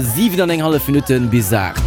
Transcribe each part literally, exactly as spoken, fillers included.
Siwen an eng hallef Minutte bis aacht.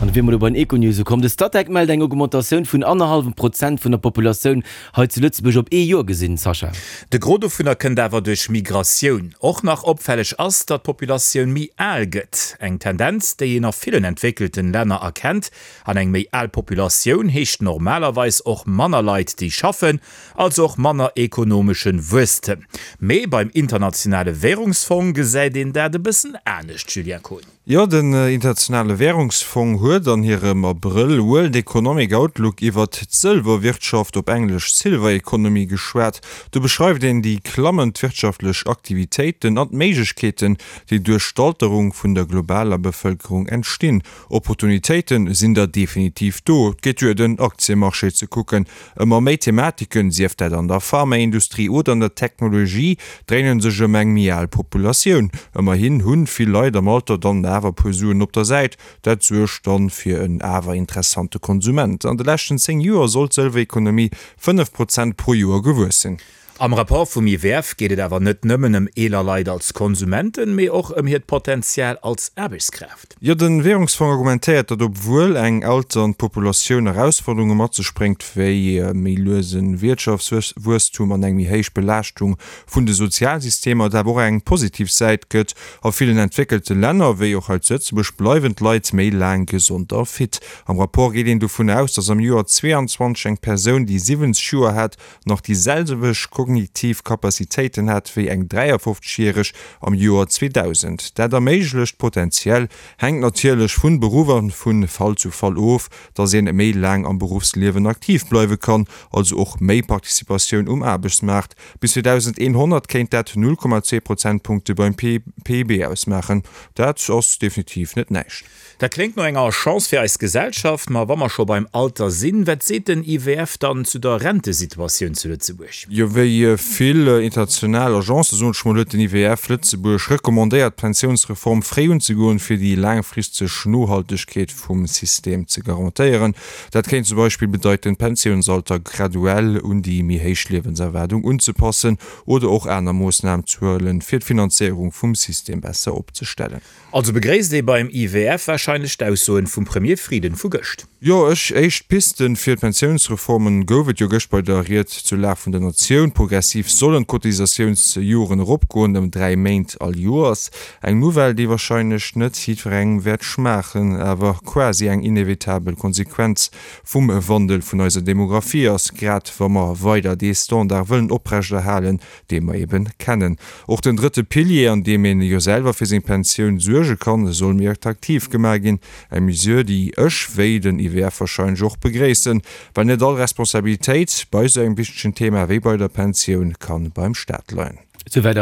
An da wier mer elo bei den Econews ukomm. De Statec mellt eng Augmentatioun vun annerhallwem Prozent vun der Populatioun hei zu Lëtzebuerg op ee Joer gesinn. Sascha. De Gros dovunner kënnt awer duerch Migratioun. Och nach opfälleg ass, datt d'Populatioun méi al gëtt. Eng Tendenz, déi een a villen entwéckelten Länner erkennt. An eng méi al Populatioun heescht normalerweis och manner Leit, déi schaffen, also och manner ekonomeschen Wuesstem. Mee beim Internationale Währungsfong gesäit een dat e bëssen anescht, Julien Kohn. Jo, den Internationale Währungsfong huet an hirem Abrëll World Economic Outlook iwwert d'Sëlwerwirtschaft, op Englesch Silver Economy, geschwat. Do beschreift een déi klammend wirtschaftlech Aktivitéiten an d'Méiglechkeeten, déi duerch d'Alterung vun der globaler Bevëlkerung entstinn. Opportunitéite sinn der definitiv do, et geet duer den Aktiemarché ze kucken. Ëmmer méi Thematiken, sief dat an der Pharmaindustrie oder an der Technologie, dréinen sech ëm eng méi al Populatioun. Ëmmerhin hunn vill Leit am Alter dann awer e puer Suen op der Säit. Dat suergt dann fir en awer interessante Konsument. An de leschten zéng Joer soll d'Sëlwerekonomie fënnef Prozent pro Joer gewuess sinn. Am Rapport vum I W F geet et awer net nëmmen ëm eeler Leit als Konsumenten, mee och ëm hiert Potenzial als Aarbechtskraaft. Jo, de Währungsfong argumentéiert, datt obwuel eng alternd Populatioun Erausforderunge mat sech bréngt, wéi méi luese Wiertschaftswuesstum an eng méi héich Belaaschtung vun de Sozialsystemer, et awer och eng positiv Säit gëtt. A villen entwéckelte Länner, wéi och hei zu Lëtzebuerg, bleiwen d'Leit méi laang gesond a fit. Am Rapport geet een dovun aus, datt am Joer zweeanzwanzeg eng Persoun, déi siwwenzeg Joer hat, nach déi selwecht kognitiv Capacitéiten hat wéi eng dräiafofzeg-järeg am Joer zweedausend. Dat erméiglecht potenziell, hänkt natierlech vun Beruff an vu Fall zu Fall of, dass een méi laang am Beruffsliewen aktiv bleiwe kann, also och méi Participatioun um Aarbechtsmaart. Bis zweedausendeenhonnert kéint dat null Komma zwee Prozentpunkte beim P I B ausmaachen. Dat ass definitiv net näischt. Dat kléngt no enger Chance fir eis Gesellschaft. Ma wa mer scho beim Alter sinn, wat seet den I W F dann zu der Rentesituatioun zu Lëtzebuerg? Jo, wéi vill international Agencen, soen ech mol, huet den I W F Lëtzebuerg recommandéiert, d'Pensiounsreform fréi unzegoen, fir déi laangfristeg Nohaltegkeet vum System ze garantéieren. Dat kéint zum Beispill bedeiten, d'Pensiounsalter graduell un déi méi héich Liewenserwaardung unzepassen oder och aner Moossnamen ze huelen, fir d'Finanzéierung vum System besser opzestellen. Also begréisst ee beim I W F warscheinlech d'Aussoen vum Premier Frieden vu gëscht. Jo, ech éischt Pisten fir d'Pensiounsreformen gouf et jo gëscht bei der Ried zur Lag vun der Natioun. Progressiv sollen d'Cotisatiounsjoren eropgoen, ëm dräi Méint all Joers. Eng Nouvelle, déi warscheinlech net jiddwerengem wäert schmaachen, awer quasi eng inevitabel Konsequenz vum Wandel vun eiser Demografie ass, grad wa mer weider dee Standard wëllen oprechterhalen, dee mer eben kennen. Och den drëtte Pilier, an deem een jo selwer fir seng Pensioun suerge kann, soll méi attraktiv gemaach ginn. Eng Mesure, déi ech, wéi den I W F warscheinlech och, begréissen, well net all Responsabilitéit bei esou engem wichtegen Thema wéi bei der Pensioun kann beim Staat leien. Souwäit.